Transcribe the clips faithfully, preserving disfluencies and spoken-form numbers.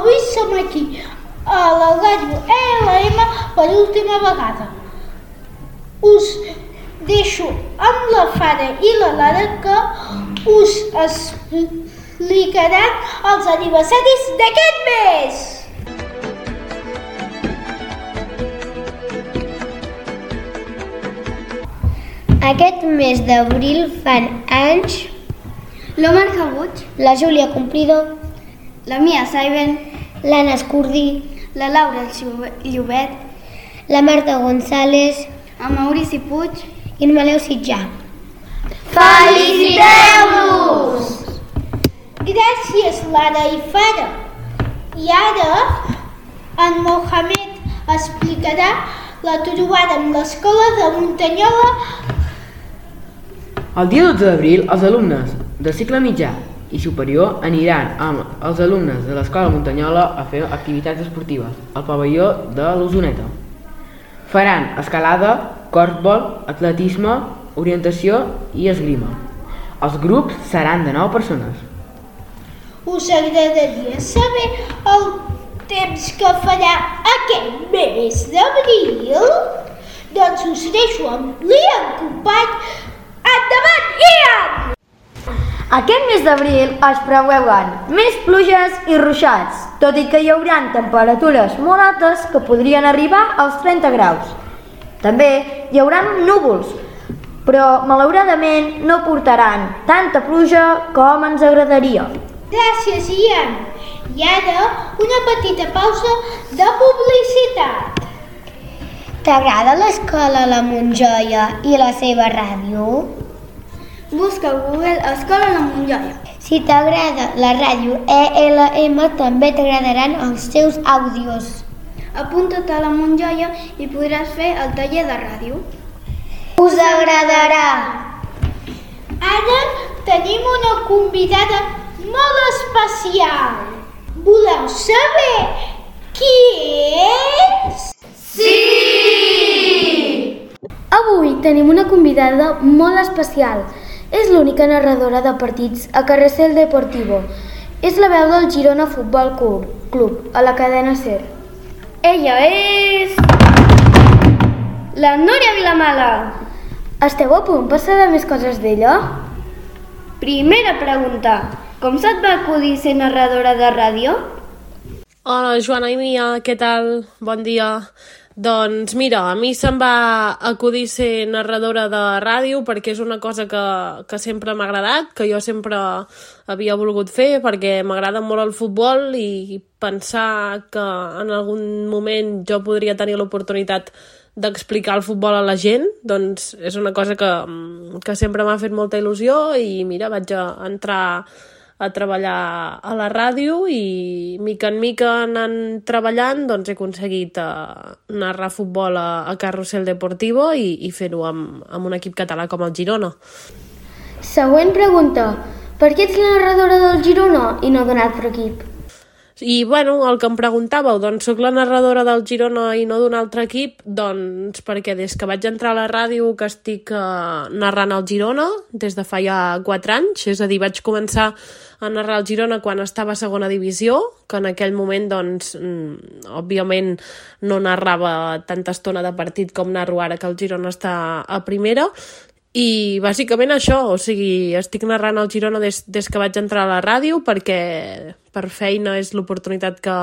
avui som aquí, a la ràdio E L M per última vegada. Us deixo amb la Fara i la Lara que us explicaran els aniversaris d'aquest mes. Aquest mes d'abril fan anys l'Omar Cabuig, la Júlia Cumplido, la Mia Saiben, l'Anna Escurdi, la Laura Llobet, la Marta González, el Maurici Puig i el Maleu Sitjà. Feliciteu-los! Gràcies, Lara i Fara. I ara en Mohamed explicarà la trobada amb l'escola de Muntanyola. El dia dotze d'abril, els alumnes del cicle mitjà i superior aniran amb els alumnes de l'escola Muntanyola a fer activitats esportives al pavelló de l'Osoneta. Faran escalada, corfbol, atletisme, orientació i esgrima. Els grups seran de nou persones. Us agradaria saber el temps que farà aquest mes d'abril? Doncs us deixo amb l'Ian Company. Endavant, Ian! Aquest mes d'abril es preveuen més pluges i ruixats, tot i que hi haurà temperatures molt altes que podrien arribar als trenta graus. També hi haurà núvols, però malauradament no portaran tanta pluja com ens agradaria. Gràcies, Ian. I ara una petita pausa de publicitat. T'agrada l'escola La Montjoia i la seva ràdio? Busca a Google Escola La Montjoia. Si t'agrada la ràdio E L M, també t'agradaran els seus àudios. Apunta't a La Montjoia i podràs fer el taller de ràdio. Us agradarà! Ara tenim una convidada molt especial. Voleu saber qui és? Sí! Avui tenim una convidada molt especial. És l'única narradora de partits a Carrusel Deportivo. És la veu del Girona Futbol Club, a la cadena SER. Ella és... la Núria Vilamala. Esteu a punt per saber més coses d'ella? Primera pregunta. Com se't va acudir ser narradora de ràdio? Hola, Joana i Mia, què tal? Bon dia. Doncs mira, a mi se'm va acudir ser narradora de ràdio perquè és una cosa que, que sempre m'ha agradat, que jo sempre havia volgut fer perquè m'agrada molt el futbol i pensar que en algun moment jo podria tenir l'oportunitat d'explicar el futbol a la gent, doncs és una cosa que, que sempre m'ha fet molta il·lusió i mira, vaig a entrar a treballar a la ràdio i mica en mica anant treballant doncs he aconseguit uh, narrar futbol a, a Carrusel Deportivo i, i fer-ho amb, amb un equip català com el Girona. Següent pregunta. Per què ets la narradora del Girona i no d'un altre equip? I, bueno, el que em preguntàveu, doncs soc la narradora del Girona i no d'un altre equip, doncs perquè des que vaig entrar a la ràdio que estic uh, narrant el Girona, des de fa ja quatre anys, és a dir, vaig començar a narrar el Girona quan estava a segona divisió, que en aquell moment, doncs, mm, òbviament no narrava tanta estona de partit com narro ara que el Girona està a primera, i bàsicament això, o sigui, estic narrant el Girona des, des que vaig entrar a la ràdio perquè per feina és l'oportunitat que,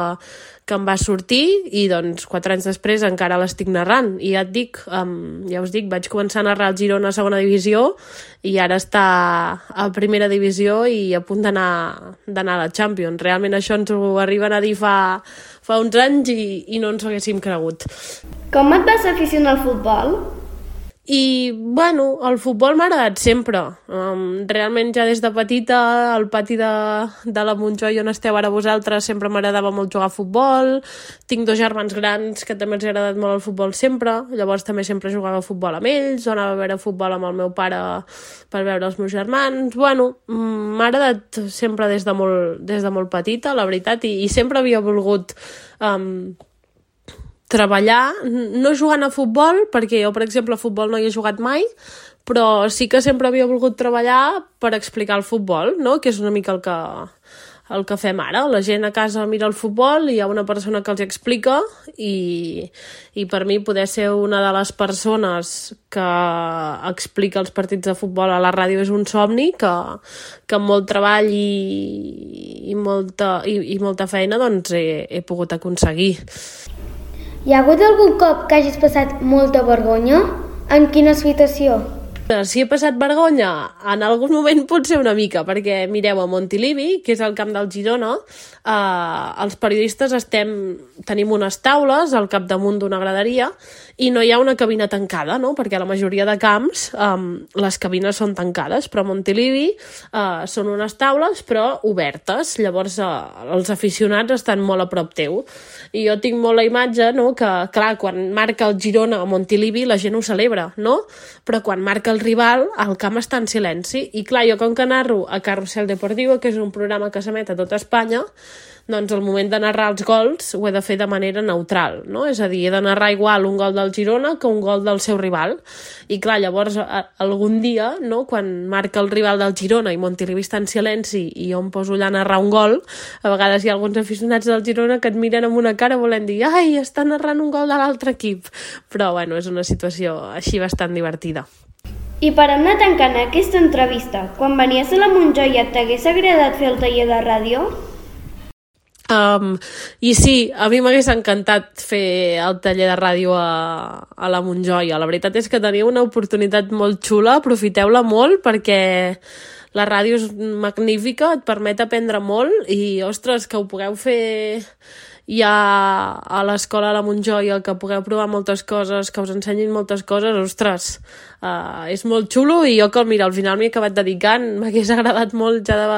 que em va sortir i doncs quatre anys després encara l'estic narrant i ja et dic, um, ja us dic, vaig començar a narrar el Girona a segona divisió i ara està a primera divisió i a punt d'anar d'anar a la Champions. Realment això ens ho arriben a dir fa, fa uns anys i, i no ens ho haguéssim cregut. Com et vas aficionar al futbol? I, bueno, el futbol m'ha agradat sempre. Um, realment ja des de petita, al pati de, de la Montjoia on esteu ara vosaltres, sempre m'agradava molt jugar a futbol. Tinc dos germans grans que també els ha agradat molt el futbol sempre, llavors també sempre jugava a futbol amb ells, o anava a veure futbol amb el meu pare per veure els meus germans. Bueno, m'ha agradat sempre des de molt, des de molt petita, la veritat, i, i sempre havia volgut... Um, treballar, no jugant a futbol, perquè jo, per exemple, a futbol no hi he jugat mai, però sí que sempre havia volgut treballar per explicar el futbol, no? Que és una mica el que, el que fem ara. La gent a casa mira el futbol, hi ha una persona que els explica i, i per mi poder ser una de les persones que explica els partits de futbol a la ràdio és un somni que, que amb molt treball i, i, molta, i, i molta feina doncs he, he pogut aconseguir. Hi ha hagut algun cop que hagis passat molta vergonya? En quina situació? Si he passat vergonya, en algun moment potser una mica, perquè mireu, a Montilivi, que és el camp del Girona, eh, els periodistes estem, tenim unes taules al capdamunt d'una graderia i no hi ha una cabina tancada, no? Perquè a la majoria de camps eh, les cabines són tancades, però a Montilivi eh, són unes taules però obertes, llavors eh, els aficionats estan molt a prop teu. I jo tinc molt la imatge, no?, que clar, quan marca el Girona a Montilivi la gent ho celebra, no? Però quan marca el rival, el camp està en silenci. I clar, jo com que narro a Carrusel Deportivo, que és un programa que s'emet a tota Espanya, doncs al moment de narrar els gols ho he de fer de manera neutral, no? És a dir, he de narrar igual un gol del Girona que un gol del seu rival. I clar, llavors a, algun dia, no?, quan marca el rival del Girona i Montilivi està en silenci i jo em poso allà a narrar un gol, a vegades hi ha alguns aficionats del Girona que et miren amb una cara volent dir ai, està narrant un gol de l'altre equip. Però bueno, és una situació així bastant divertida. I per anar tancant aquesta entrevista, quan venies a la Montjoia t'hagués agradat fer el taller de ràdio? Um, I sí, a mi m'hagués encantat fer el taller de ràdio a, a la Montjoia. La veritat és que teniu una oportunitat molt xula, aprofiteu-la molt perquè la ràdio és magnífica, et permet aprendre molt i, ostres, que ho pugueu fer ja a l'escola a la Montjoia, que pugueu provar moltes coses, que us ensenyin moltes coses, ostres, uh, és molt xulo i jo que, mira, al final m'he acabat dedicant, m'hagués agradat molt ja de,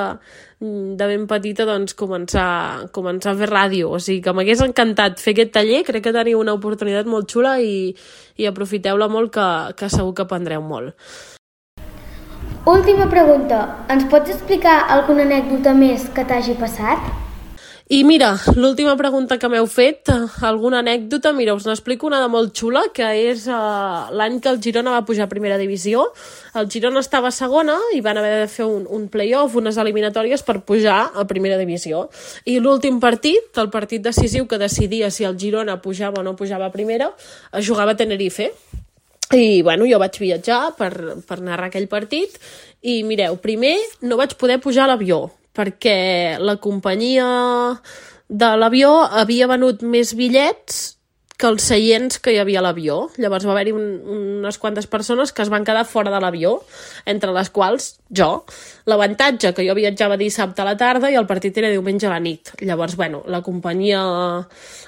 de ben petita doncs començar, començar a fer ràdio, o sigui que m'hagués encantat fer aquest taller, crec que teniu una oportunitat molt xula i, i aprofiteu-la molt que, que segur que aprendreu molt. Última pregunta, ens pots explicar alguna anècdota més que t'hagi passat? I mira, l'última pregunta que m'heu fet, alguna anècdota, mira, us n'explico una de molt xula, que és uh, l'any que el Girona va pujar a primera divisió. El Girona estava a segona i van haver de fer un, un play-off, unes eliminatòries per pujar a primera divisió. I l'últim partit, el partit decisiu que decidia si el Girona pujava o no pujava a primera, es jugava a Tenerife. I bueno, jo vaig viatjar per, per narrar aquell partit i mireu, primer no vaig poder pujar a l'avió, perquè la companyia de l'avió havia venut més bitllets que els seients que hi havia a l'avió. Llavors va haver-hi un, unes quantes persones que es van quedar fora de l'avió, entre les quals jo. L'avantatge que jo viatjava dissabte a la tarda i el partit era diumenge a la nit. Llavors, bueno, la companyia,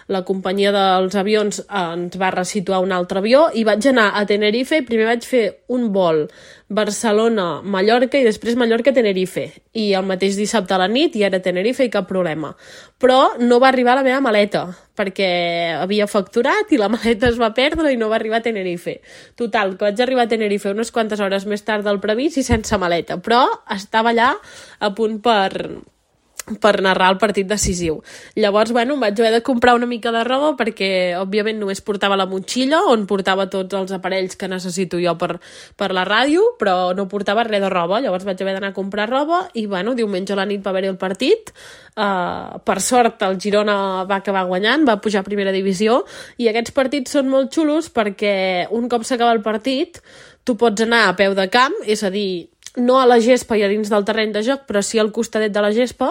la companyia dels avions ens va resituar un altre avió i vaig anar a Tenerife i primer vaig fer un vol Barcelona-Mallorca i després Mallorca-Tenerife. I el mateix dissabte a la nit i era Tenerife i cap problema. Però no va arribar la meva maleta, perquè havia facturat i la maleta es va perdre i no va arribar a Tenerife. Total, que vaig arribar a Tenerife unes quantes hores més tard del previst i sense maleta, però estava allà a punt per... per narrar el partit decisiu. Llavors, bueno, em vaig haver de comprar una mica de roba perquè, òbviament, només portava la motxilla on portava tots els aparells que necessito jo per, per la ràdio, però no portava res de roba. Llavors vaig haver d'anar a comprar roba i, bueno, diumenge a la nit va haver-hi el partit. Uh, per sort, el Girona va acabar guanyant, va pujar a primera divisió i aquests partits són molt xulos perquè un cop s'acaba el partit tu pots anar a peu de camp, és a dir, no a la gespa i a dins del terreny de joc, però sí al costadet de la gespa,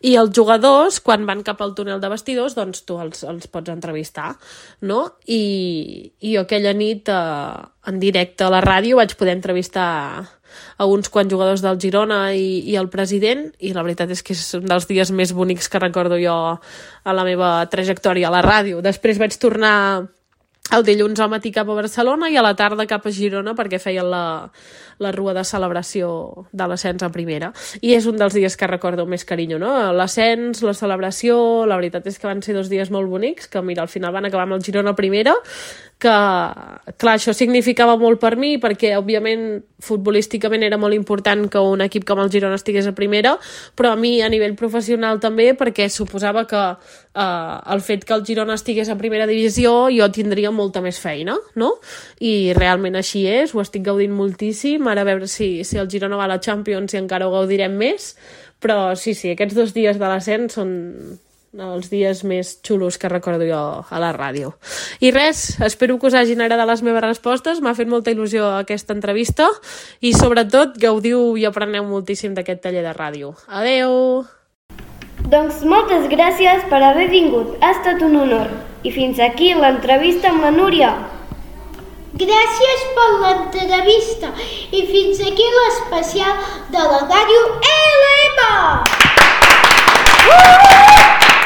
i els jugadors, quan van cap al túnel de vestidors, doncs tu els, els pots entrevistar, no? I, i jo aquella nit, eh, en directe a la ràdio, vaig poder entrevistar a uns quants jugadors del Girona i, i el president, i la veritat és que és un dels dies més bonics que recordo jo a la meva trajectòria a la ràdio. Després vaig tornar el dilluns al matí cap a Barcelona i a la tarda cap a Girona perquè feien la, la rua de celebració de l'ascens a primera. I és un dels dies que recordo més carinyo, no? L'ascens, la celebració, la veritat és que van ser dos dies molt bonics, que mira, al final van acabar amb el Girona a primera, que, clar, això significava molt per mi perquè, òbviament, futbolísticament era molt important que un equip com el Girona estigués a primera, però a mi a nivell professional també perquè suposava que eh, el fet que el Girona estigués a primera divisió jo tindria molta més feina, no? I realment així és, ho estic gaudint moltíssim, ara a veure si, si el Girona va a la Champions i encara ho gaudirem més, Però sí, sí, aquests dos dies de l'ascens són els dies més xulos que recordo jo a la ràdio. I res, espero que us hagin agradat les meves respostes, m'ha fet molta il·lusió aquesta entrevista i sobretot gaudiu i apreneu moltíssim d'aquest taller de ràdio. Adeu! Doncs moltes gràcies per haver vingut, ha estat un honor. I fins aquí l'entrevista amb la Núria. Gràcies per l'entrevista i fins aquí l'especial de la ràdio L M! Uh!